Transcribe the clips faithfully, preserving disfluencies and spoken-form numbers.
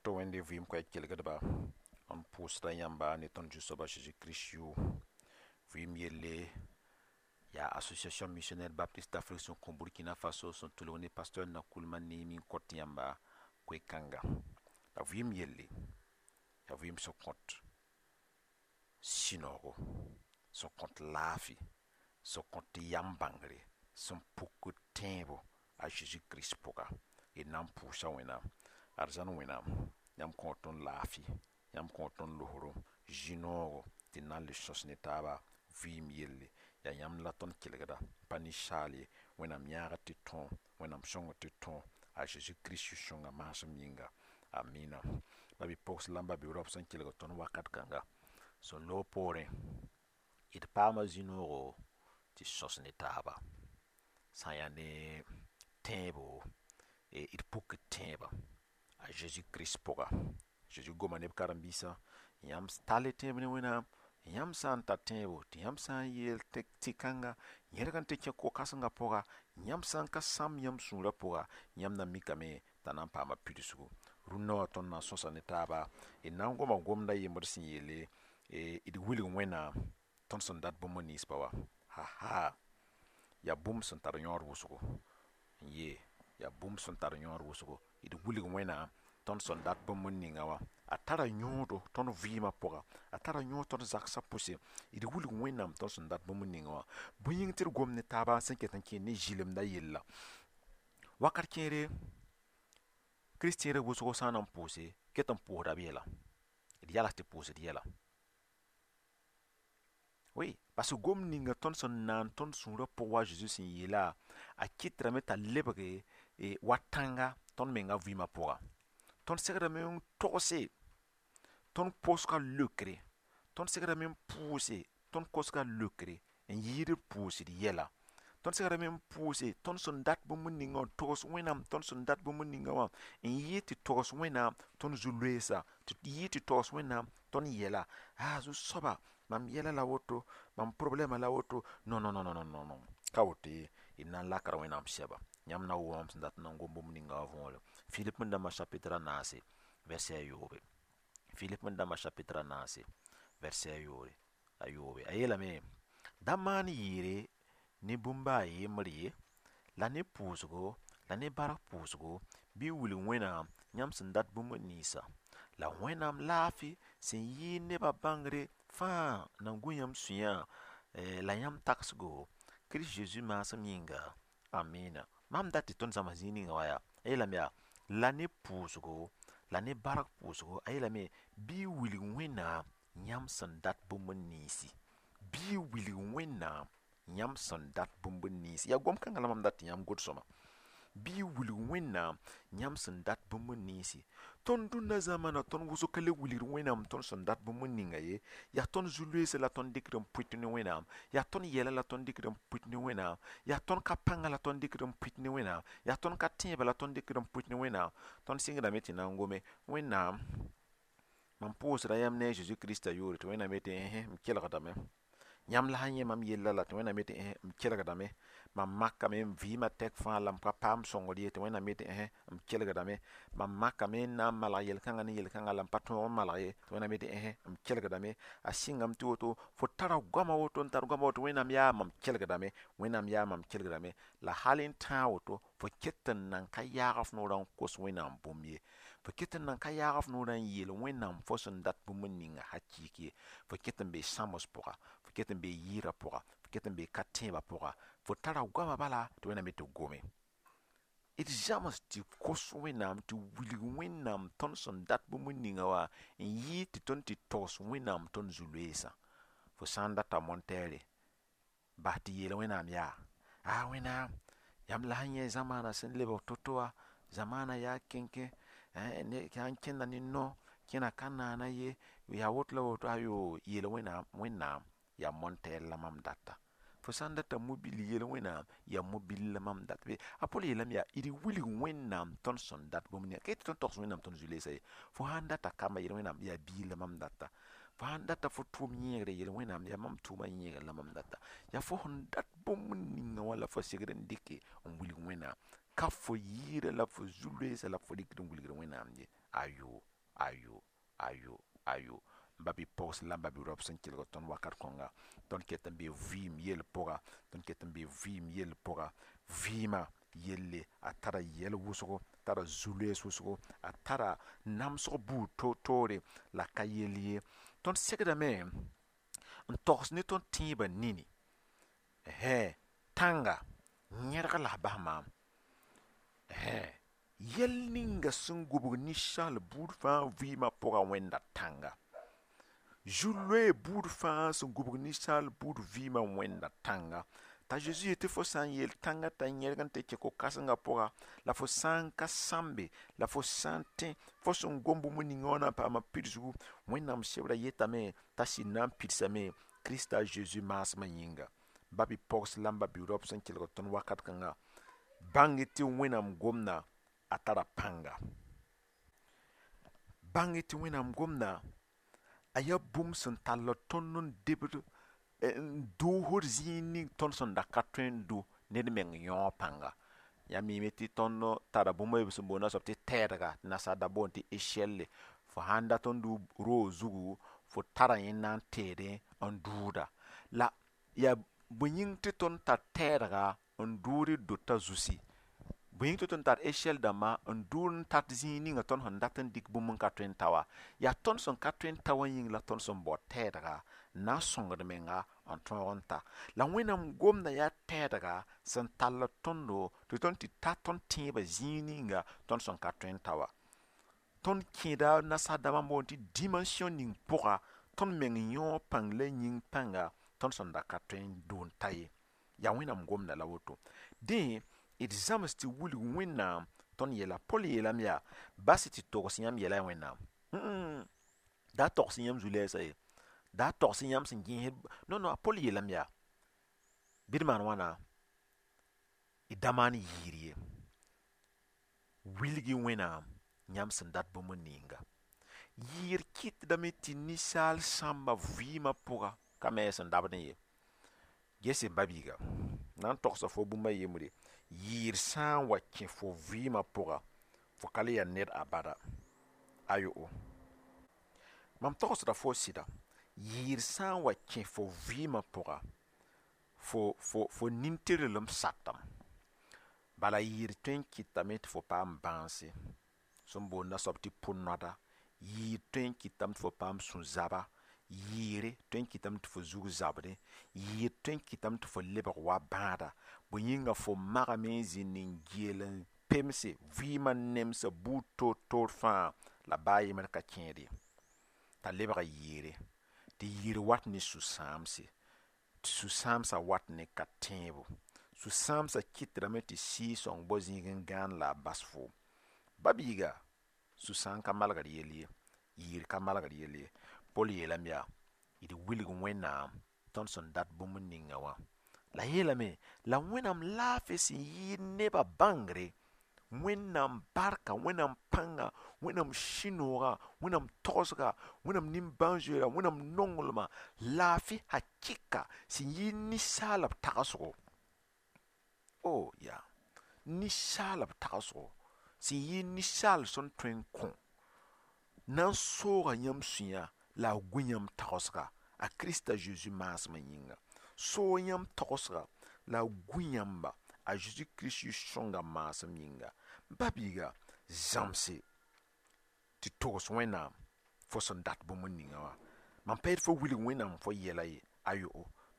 Woto Wẽnde vɩɩm koɛɛg kelgdba n pʋʋsda yãmba ne tõnd Zu-soaba Zeezi Kirist yʋʋr vɩɩm yelle yaa Association Missionnaire Baptiste d'Afrique sẽn kõ Burkina Faso sẽn tʋlg ne pasteur Nakoulma Neemi n kõt yãmba koe-kãnga la vɩɩm yelle yaa vɩɩm sẽn kõt sũ-noogo sẽn kõt laafɩ sẽn kõt yam bãngre sẽn pukd tẽebo a Zeezi Kirist pʋga d na n pʋʋsa Wẽnnaam arzãn Wẽnnaam yãmb kõo tõnd laafɩ yãmb kõo tõnd losro zĩ-noogo tɩ d na n le sõs ne taaba vɩɩm yelle yaa yãmb la tõnd kelgda pa ninsaal ye Wẽnnaam yãagd tɩ tõo Wẽnnaam sõngd tɩ tõo a Zeezi Kirist yʋ-sõnga maasem yĩnga amina ba-bi-pogs la n ba-bi-raop sẽn kelg tõnd wakat kãnga sẽn loog poorẽ d paama zĩ-noogo tɩ sõs ne taaba sã n yaa ne tẽebo d pukd tẽebã a Zeezi Kirist pʋga Zeezi goma ne b karen-biisã yãmb tall y tẽeb ne Wẽnnaam yãmb sã n tar tẽebo tɩ yãmb sã n yeel tɩ-kãnga yẽrg n tɩ kẽ ko-kãsengã pʋga yãmb sã n ka sãm yãmb sũurã pʋga yãmb na mikame t'a na n paama pidsgu rũnnã wã tõnd na n sõsa ne taaba d na n goma gomda yembd sẽn yeele d wilg Wẽnnaam tõnd sẽn dat bũmb ninsba wa ha-ha yaa bũmb sẽn tar yõod wʋsgo n yee yaa bũmb sẽn tar yõod wʋsgo d wilg Wẽnnaam tõnd sẽn dat bũmb ninga wã a tara yõodo tõnd vɩɩmã pʋga a tara yõod tõnd zagsã pʋse d wilg Wẽnnaam tõnd sẽn dat bũmb ninga wã bõe yĩng tɩ d gom ne taaba sẽn ket n kẽer ne zɩlemda yella wakat kẽere kristẽerb wʋsgo sã n na n pʋʋse ket n pʋʋsda b yɛla d yals tɩ pʋʋsd yɛla oui parce que gom ninga tõnd sẽn naan tõnd sũurã pʋg wa Zeezi sẽn yeela a kɩtdame t'a lebge wa tãnga tõnd menga vɩɩmã pʋga tõnd segdame n togse tõnd kosga leokre tõnd segdame n pʋʋse tõnd kosga leokre n yɩɩd d pʋʋsd yɛla tõnd segdame n pʋʋse tõnd sẽn dat bũmb ninga wã togs Wẽnnaam tõnd sẽn dat bũmb ninga wã n yɩɩd tɩ togs Wẽnnaam tõnd zu-loeesa tɩ yɩɩd tɩ togs Wẽnnaam tõnd yɛla a zu-soaba mam yɛla la woto mam problɛmã la woto non non non non non non ka woto ye d na n lakra Wẽnnaam sɛba yãmb na wʋma mam sẽn dat n na n gom bũmb ninga wã võore Filip dãmbã chapitre a naase verset a yoobe Filip dãmbã chapitre a naase verset a yoobe a yoobe a yeelame da maan yɩɩre ne bũmba a yembr ye la ne pʋʋsgo la ne bark pʋʋsgo bɩ wilg Wẽnnaam yãmb sẽn dat bũmb ninsã la Wẽnnaam laafɩ sẽn yɩɩd nebã bãngre fãa na n gu yãmb sũyã la yãmb tagsgo Kirist Zeezi maasem yĩnga amina mam dat tɩ tõnd zãms zĩig ninga wã yaa a yeelame yaa la ne pʋʋsgo la ne bark pʋʋsgo a yeelame bɩ wilg Wẽnnaam yãmb sẽn dat bũmb ninsi bɩ wilg Wẽnnaam yãmb sẽn dat bũmb ninsi yaa gom kãngã la mam dat tɩ yãmb god-sõma bɩ wilg Wẽnnaam yãmb sẽn dat bũmb ninsi tõnd dũnna zãmana tõnd wʋsg ka le wilgd Wẽnnaam tõnd sẽn dat bũmb ninga ye yaa tõnd zu-loeesã la tõnd dɩkd n pʋɩt ne Wẽnnaam yaa tõnd yɛla la tõnd dɩkd n pʋɩt ne Wẽnnaam yaa tõnd ka pãnga la tõnd dɩkd n pʋɩt ne Wẽnnaam yaa tõnd ka tẽebã la tõnd dɩkd n pʋɩt ne Wẽnnaam tõnd sɩngdame tɩ na n gome Wẽnnaam mam pʋʋsda yãmb ne a Zeezi Kirista yʋʋre tɩ Wẽnnaam yetɩ ẽhe m kelgdame yãmb la sã yẽ mam yella la tɩ Wẽnnaam yetɩ ẽhe m kelgdame mam makame n vɩɩmã tɛk fãa la m ka paam sõngr ye tɩ Wẽnnaam yetɩ ẽhe m kelgdame mam makame n na n malg yel-kãngã ne yel-kãngã la m pa tõog n malg ye tɩ Wẽnnaam yetɩ ẽhe m kelgdame a sɩngame tɩ woto fo tara goama woto n tar goama woto Wẽnnaam yaa mam kelgdame Wẽnnaam yaa mam kelgdame la hal n tãag woto fo ket n nan ka yaag f noorã n kos Wẽnnaam bũmb ye fo ket n nan ka yaag f noorã n yeel Wẽnnaam fo sẽn dat bũmb ninga hakɩɩk ye fo ket n bee sãms pʋga fo ket n bee yɩɩrã pʋga fo ket n bee ka tẽebã pʋga fo tara goamã bala tɩ Wẽnnaam yetɩ gome d zãms tɩ kos Wẽnnaam tɩ wilg Wẽnnaam tõnd sẽn dat bũmb ninga wã n yɩɩd tɩ tõnd tɩ togs Wẽnnaam tõnd zu-loeesã fo sã n data montɛɛre bas tɩ yeel Wẽnnaam yaa a Wẽnnaam yãmb la sẽn yẽ zamaana sẽn lebg to-to wã zamaana yaa kẽnkẽ sã n kẽnda ne no kẽna ka naana ye yaa woto la woto ayo yeel Wẽnnaam Wẽnnaam yaa montɛɛr la mam data fo sã n data mobil yeel Wẽnnaam yaa mobil la mam dat be a Pol yeelame yaa d wilg Wẽnnaam tõnd sẽn dat bũmb ninga ka yetɩ tõnd togs Wẽnnaam tõnd zu-loeesã ye fo sã n data kamba yeel Wẽnnaam yaa biig la mam data fo sã n data fo tʋʋm yẽegre yeel Wẽnnaam yaa mam tʋʋmã yẽegr la mam data yaa fo sẽn dat bũmb ninga wã la fo segd n dɩke n wilg Wẽnnaam ka fo yɩɩrã la fo zu-loeesã la fo dɩkd n wilgd Wẽnnaam ye ayo Ayo, ayo, ayo. M ba-bi-pogs la m ba-bi-raop sẽn kelg tõnd wakat kõnga, tõnd ket n be vɩɩm yell pʋga, tõnd ket n be vɩɩm yell pʋga. Vɩɩmã yelle a tara yɛl wʋsgo, tara zu-loees wʋsgo, a tara namsg buud toor-toore, la ka yell ye. Tõnd segdame n togs ne tõnd tẽebã nini. Hẽ tãnga yẽrg la b bas maam. Hẽ yɛl ninga sẽn gubg ninsaal buud fãa vɩɩmã pʋga wẽnda tãnga. Zu-loee buud fãa sẽn gubg ninsaal buud vɩɩmã wẽnda tãnga. T'a Zeezi yetɩ fo sã n yeel tãngã t'a yẽrg n tɩ kẽ ko-kãsengã pʋga, la fo sã n ka sãmbe, la fo sã n tẽ fo sẽn gom bũmb ninga wã na n paama pidsgu, Wẽnnaam sebra yetame t'a sɩd na n pidsame Krista Zeezi maasmã yĩnga. Ba-bi-pogs la m ba-bi-raop sẽn kelg tõnd wakat kãnga, bãng-y tɩ Wẽnnaam gomda a tara pãnga. Bãng-y tɩ Wẽnnaam gomda a yaa bũmb sẽn tall tõnd n debd n doosd zĩig ning tõnd sẽn da ka tõe n dʋ ned meng yõog pãnga. Yãmb miime tɩ tõnd tara bũmb a yeebã sẽn boond a soab tɩ tɛɛdga, tɩ nasaar da boond tɩ échelle. Fo sãn dat n dʋ roog zugu, fo tara yẽ na n teedẽ n dʋʋda. La yaa bõe yĩng tɩ tõnd tar tɛɛdga n dʋʋd d dota zusi? Bõe yĩng tɩ tõnd tar échelle dãmba n dʋʋd n tat zĩig ninga tõnd sẽn dat n dɩk bũmb n ka tõe n ta wã? Yaa tõnd sẽn ka tõe n ta wã yĩng la tõnd sẽn bao tɛɛdga n na n sõngd menga n tõog n ta. La Wẽnnaam gomda yaa tɛɛdga sẽn tall tõndo tɩ tõnd tɩ ta tõnd tẽebã zĩig ninga tõnd sẽn ka tõe n ta wã. Tõnd kẽeda nasaar dãmbã n boond tɩ dimension ning pʋga tõnd meng yõog pãng la yĩng pãnga tõnd sẽn da ka tõe n dʋ n ta ye. Yaa Wẽnnaam gomda la woto. Dẽ d zãms tɩ wilg Wẽnnaam tõnd yɛla. Pol yeelame yaa bas tɩ togs yãmb yɛla Wẽnnaam. Da togs yãmb zu-lɛɛsã ye, da togs yãmb sẽn gẽesd. Non, non, a Pol yeelame yaa bɩ d maan wãna, d da maan yɩɩr ye. Wilg-y Wẽnnaam yãmb sẽn dat bũmb ninga. Yɩɩr kɩtdame tɩ ninsaal sãmba vɩɩmã pʋga ka me sẽn dabdẽ ye. Gese m ba-biiga, na n togsa fo bũmb a yembre, yɩɩr sã n wa kẽ fo vɩɩmã pʋga, fo ka le yaa ned abada. Ayo. Mam togsda fo sɩda, yɩɩr sã n wa kẽ fo vɩɩmã pʋga, fo fo fo nin-tɩrlem satame. Bala yɩɩr tõe n kɩtame tɩ fo paam bãanse, sẽn boond a soab tɩ pʋ-noada, yɩɩr tõe n kɩtame tɩ fo paam sũ-zaba, yɩɩre tõe n kɩtame tɩ fo zug zabdẽ, yɩɩr tõe n kɩtame tɩ fo lebg wa bãada. Bõe yĩnga fo magame n zĩnd n geel n pemse vɩɩmã nemsã buud toor-toor fãa la baa yembr ka kẽed ye. T'a lebga yɩɩre, tɩ yɩɩr wat ne sũ-sãamse, tɩ sũ-sãamsã wat ne ka tẽebo. Sũ-sãamsã kɩtdame tɩ Sɩɩg-sõng bao zĩig n gãan la a bas foom. Ba-biiga, sũ-sãam ka malgd yell ye, yɩɩr ka malgd yell ye. Pol yeelame yaa d wilg Wẽnnaam tõnd sẽn dat bũmb ninga wã. La yeelame la Wẽnnaam laafɩ sẽn yɩɩd nebã bãngre, Wẽnnaam barka, Wẽnnaam pãnga, Wẽnnaam sũ-noogã, Wẽnnaam togsga, Wẽnnaam nimbãan-zoeera, Wẽnnaam nonglmã, laafɩ hakɩka sẽn yɩɩd ninsaalb tagsgo. O ya ninsaalb tagsgo sẽn yɩɩd ninsaal sẽn tõe n kõ na n sooga yãmb sũyã la a gu yãmb tagsga a Krista Zeezi maasmã yĩnga. Soog yãmb tagsga la a gu yãmba a Zeezi Kirist sõnga maasem yĩnga. Ba-biiga, zãmse tɩ togs Wẽnnaam fo sẽn dat bũmb ninga wã. Mam pa yet fo wilg Wẽnnaam fo yɛla ye, ayo.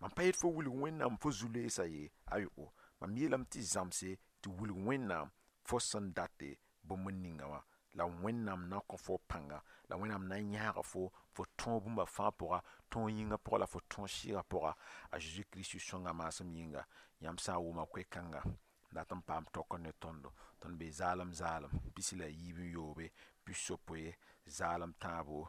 Mam pa yet fo wilg Wẽnnaam fo zu-loeesã ye, ayo. Mam yeelame tɩ zãmse tɩ wilg Wẽnnaam fo sẽn date bũmb ninga wã. La Wẽnnaam na n kõ fo pãnga, la Wẽnnaam na n yãaga fo fo tõog bũmba fãa pʋga, tõog yĩngã pʋga la fo tõog sɩɩgã pʋga a Zeezi Kirist sõnga maasem yĩnga. Yãmb sã n wʋma koe-kãnga dat n paam tokr ne tõndo, tõnd be zaalem zaalem pis la yiib n yoobe, pis-yopoe, zaalem tãabo,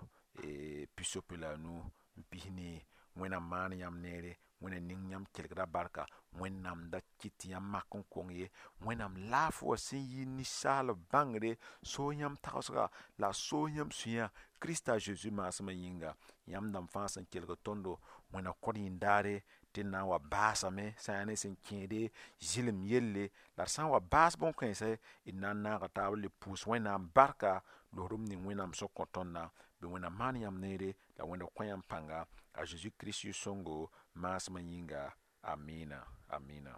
pis-yopoe la a nu n pis nii. Wẽnnaam maan yãmb neere, Wẽnnaam ning yãmb kelgda barka, Wẽnnaam da kɩt tɩ yãmb mak n kong ye, Wẽnnaam laafɩ wã sẽn yɩ ninsaalb bãngre, soog yãmb tagsga la a soog yãmb sũyã Krista Zeezi maasmã yĩnga. Yãmb dãmb fãa sẽn kelg tõndo, Wẽnna kõt yĩn-daare tɩ d na n wa baasame sã n yaa ne sẽn kẽede zɩlem yelle, la d sã n wa baas bõn-kãensã d na n naaga taab n le pʋʋs Wẽnnaam barka Loosdem ning Wẽnnaam sẽn kõ tõndã. Bɩ Wẽnnaam maan yãmb neere la Wẽnd kõ yãmb pãnga a Zeezi Kirist yʋ-sõngo maasmã yĩnga. Amina, amina.